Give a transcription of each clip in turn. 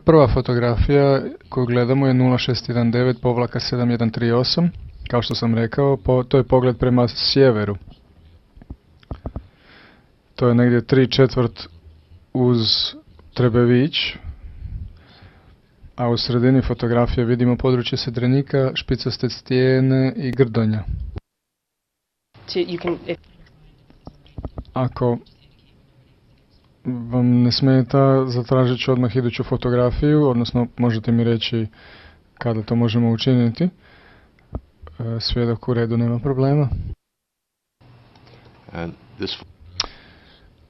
prva fotografija koju gledamo je 0619-7138. Kao što sam rekao, to je pogled prema sjeveru. To je negdje 3/4 uz Trebević, a u sredini fotografije vidimo područje Sedrenika, špicaste stijene i Grdonja. Ako vam ne smeta, zatražit ću odmah iduću fotografiju, odnosno možete mi reći kada to možemo učiniti. Svjedok u redu, nema problema.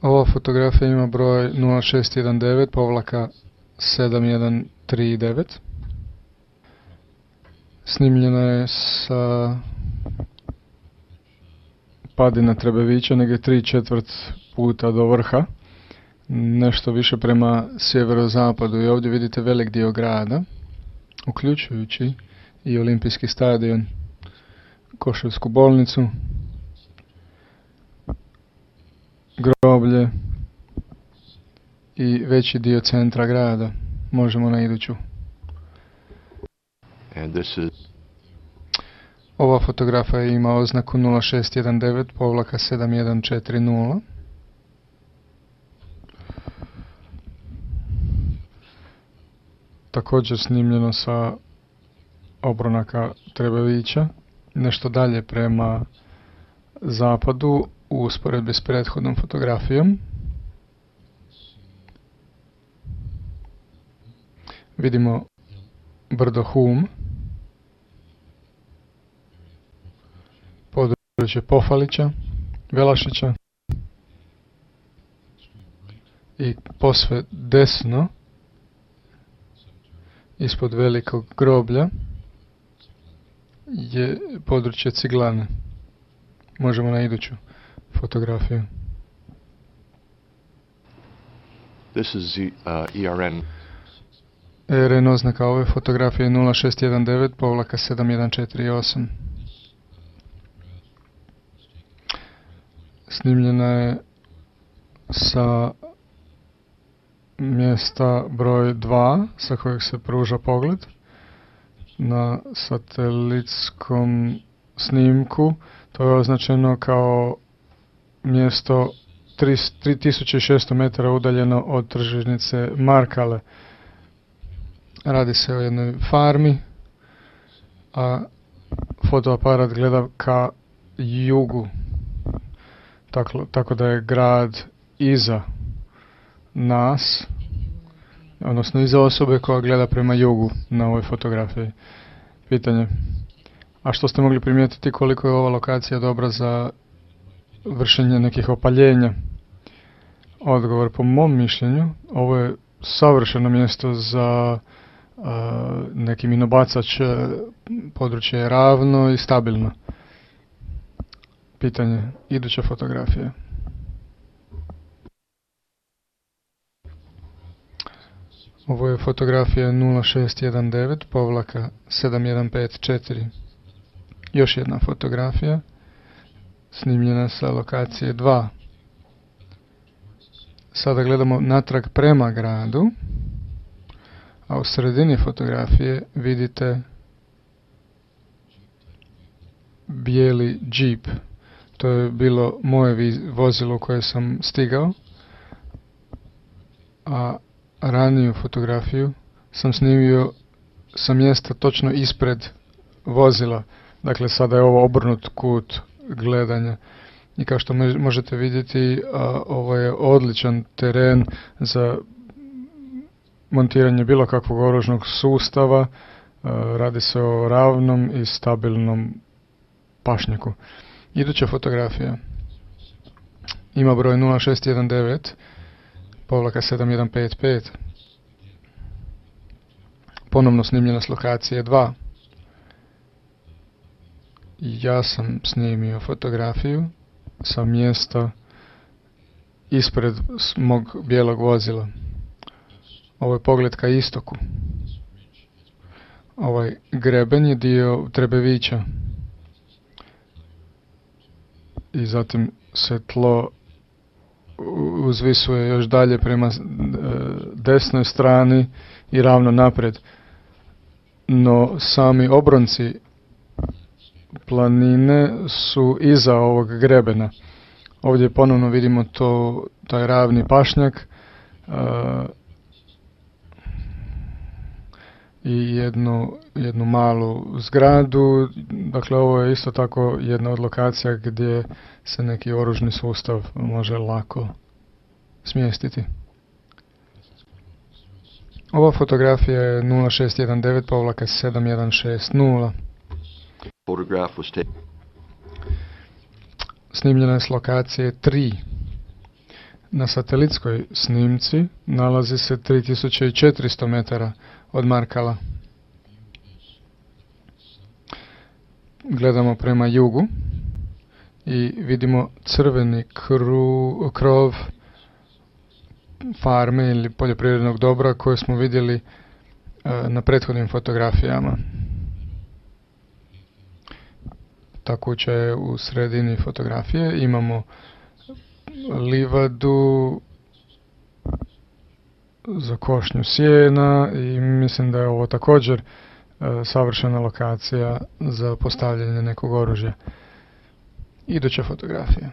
Ova fotografija ima broj 0619-7139. Snimljena je sa padina Trebevića, negdje 3/4 puta do vrha, nešto više prema sjeverozapadu, i ovdje vidite velik dio grada, uključujući i Olimpijski stadion, Koševsku bolnicu, groblje i veći dio centra grada. Možemo na iduću. Ova fotografija ima oznaku 0619-7140. Također snimljeno sa obronaka Trebevića, nešto dalje prema zapadu u usporedbi s prethodnom fotografijom. Vidimo brdo Hum, područje Pofalića, Velašića i posve desno ispod velikog groblja je područje Ciglane. Možemo na iduću fotografiju. This is ERN. ERN oznaka ove fotografije 0619-7148. Snimljena je sa mjesta broj 2 sa kojeg se pruža pogled. Na satelitskom snimku to je označeno kao mjesto 3600 metara udaljeno od tržnice Markale. Radi se o jednoj farmi, a fotoaparat gleda ka jugu, tako da je grad iza nas, odnosno iza osobe koja gleda prema jugu na ovoj fotografiji. Pitanje: a što ste mogli primijetiti koliko je ova lokacija dobra za vršenje nekih opaljenja? Odgovor: po mom mišljenju, ovo je savršeno mjesto za neki minobacač. Područje je ravno i stabilno. Pitanje: iduća fotografija. Ovo je fotografija 0619-7154. Još jedna fotografija, snimljena sa lokacije 2. Sada gledamo natrag prema gradu, a u sredini fotografije vidite bijeli džip. To je bilo moje vozilo koje sam stigao, a raniju fotografiju sam snimio sa mjesta točno ispred vozila. Dakle, sada je ovo obrnut kut gledanja. I kao što možete vidjeti, ovo je odličan teren za montiranje bilo kakvog oružnog sustava. Radi se o ravnom i stabilnom pašnjaku. Iduća fotografija ima broj 0619-7155. Ponovno snimljena s lokacije 2. Ja sam snimio fotografiju sa mjesta ispred mog bijelog vozila. Ovo je pogled ka istoku. Ovaj greben je dio Trebevića. I zatim se tlo uzvisuje još dalje prema desnoj strani i ravno naprijed. No sami obronci planine su iza ovog grebena. Ovdje ponovno vidimo taj ravni pašnjak i jednu malu zgradu. Dakle, ovo je isto tako jedna od lokacija gdje se neki oružni sustav može lako smjestiti. Ova fotografija je 0619-7160. Photograph was taken. Snimljena je s lokacije 3. Na satelitskoj snimci nalazi se 3400 metara od Markala. Gledamo prema jugu i vidimo crveni krov farme ili poljoprivrednog dobra koje smo vidjeli na prethodnim fotografijama. Ta kuća je u sredini fotografije. Imamo livadu za košnju sjena i mislim da je ovo također savršena lokacija za postavljanje nekog oružja. Iduća fotografija.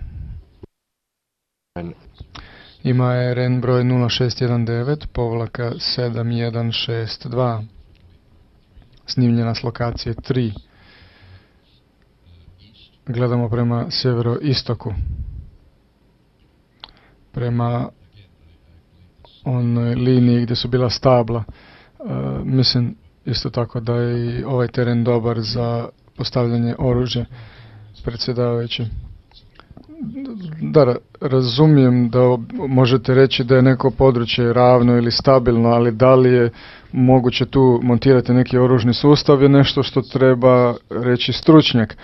Ima je RN broj 0619-7162. Snimljena s lokacije 3. Gledamo prema sjeveroistoku. Prema onoj liniji gdje su bila stabla. Mislim isto tako da je i ovaj teren dobar za postavljanje oružja, predsjedavajući. Da, razumijem da možete reći da je neko područje ravno ili stabilno, ali da li je moguće tu montirati neki oružni sustav je nešto što treba reći stručnjak.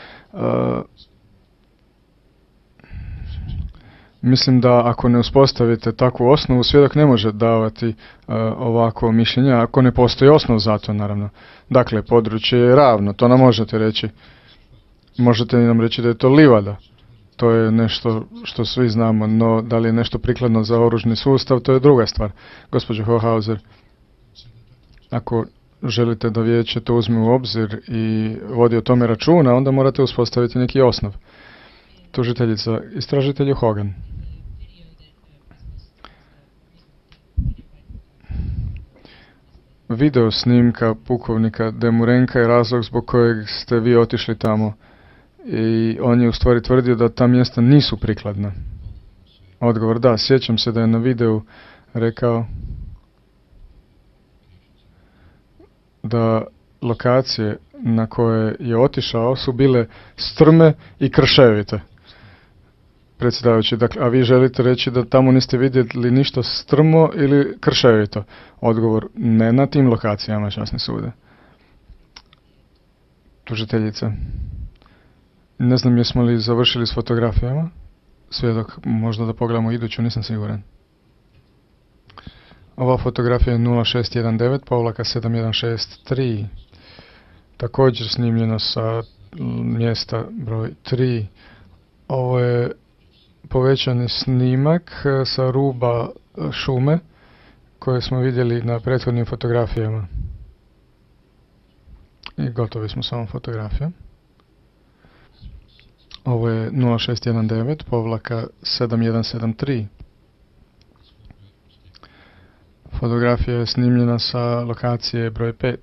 Mislim da ako ne uspostavite takvu osnovu, svjedok ne može davati ovako mišljenje, ako ne postoji osnov za to, naravno. Dakle, područje je ravno, to nam možete reći. Možete nam reći da je to livada. To je nešto što svi znamo, no da li je nešto prikladno za oružni sustav, to je druga stvar. Gospođo Hohauser, ako želite da vijeće to uzme u obzir i vodi o tome računa, onda morate uspostaviti neki osnov. Tužiteljica, istražitelju Hogan. Video snimka pukovnika Demurenka je razlog zbog kojeg ste vi otišli tamo. I on je u stvari tvrdio da ta mjesta nisu prikladna. Odgovor, da, sjećam se da je na videu rekao da lokacije na koje je otišao su bile strme i krševite. Predsjedavajući, dakle, a vi želite reći da tamo niste vidjeli ništa strmo ili krševito? Odgovor, ne na tim lokacijama, časni sude. Tužiteljica. Ne znam jesmo li završili s fotografijama. Svjedok, možda da pogledamo iduću, nisam siguran. Ova fotografija je 0619-7163. Također snimljeno sa mjesta broj 3. Ovo je povećani snimak sa ruba šume koje smo vidjeli na prethodnim fotografijama. I gotovi smo s ovom fotografijom. Ovo je 0619-7173. Fotografija je snimljena sa lokacije broj 5.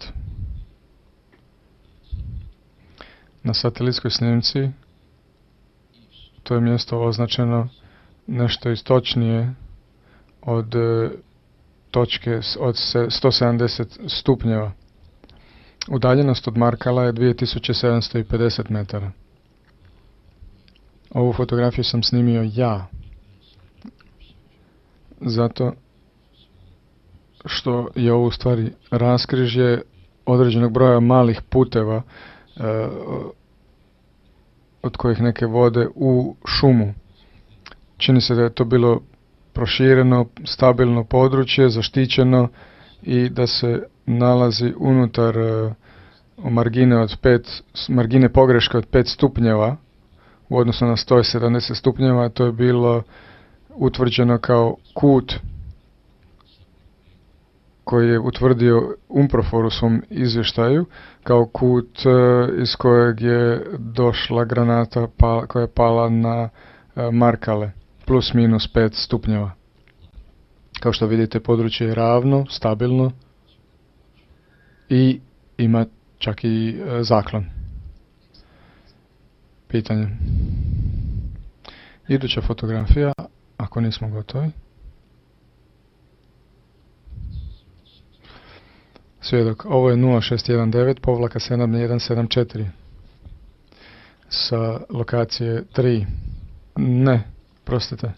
Na satelitskoj snimci to je mjesto označeno nešto istočnije od točke od 170 stupnjeva. Udaljenost od Markala je 2750 metara. Ovu fotografiju sam snimio ja. Zato što je ovo u stvari raskrižje određenog broja malih puteva od kojih neke vode u šumu. Čini se da je to bilo prošireno, stabilno područje, zaštićeno i da se nalazi unutar margine pogreške od 5 stupnjeva u odnosu na 170 stupnjeva. To je bilo utvrđeno kao kut koji je utvrdio UNPROFOR u svom izvještaju kao kut iz kojeg je došla granata koja je pala na Markale, plus minus 5 stupnjeva. Kao što vidite, područje je ravno, stabilno i ima čak i zaklon. Pitanje. Iduća fotografija, ako nismo gotovi. Svjedok, ovo je 0619-7174 sa lokacije 3. Ne, prostite.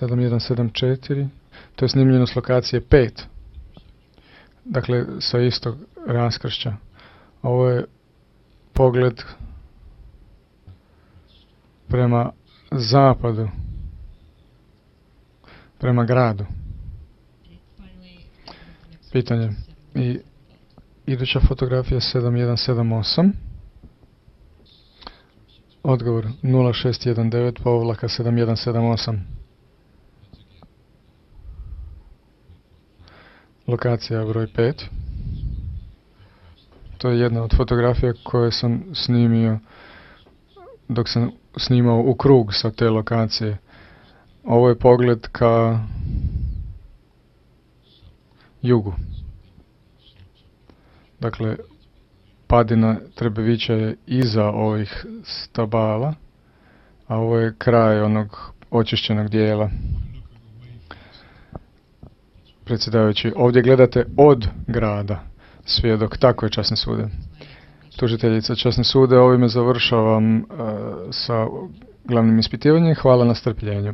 7174, to je snimljeno s lokacije 5. Dakle, sa istog raskršća. Ovo je pogled prema zapadu, prema gradu. Pitanje. I iduća fotografija 7178. Odgovor 0619-7178. Lokacija broj 5. To je jedna od fotografija koje sam snimio dok sam snimao u krug sa te lokacije. Ovo je pogled ka jugu. Dakle, padina Trebevića je iza ovih stabala, a ovo je kraj onog očišćenog dijela. Predsjedavajući, ovdje gledate od grada. Svjedok, tako je, časni sude. Tužiteljica, časni sude, ovime završavam sa glavnim ispitivanjem. Hvala na strpljenju.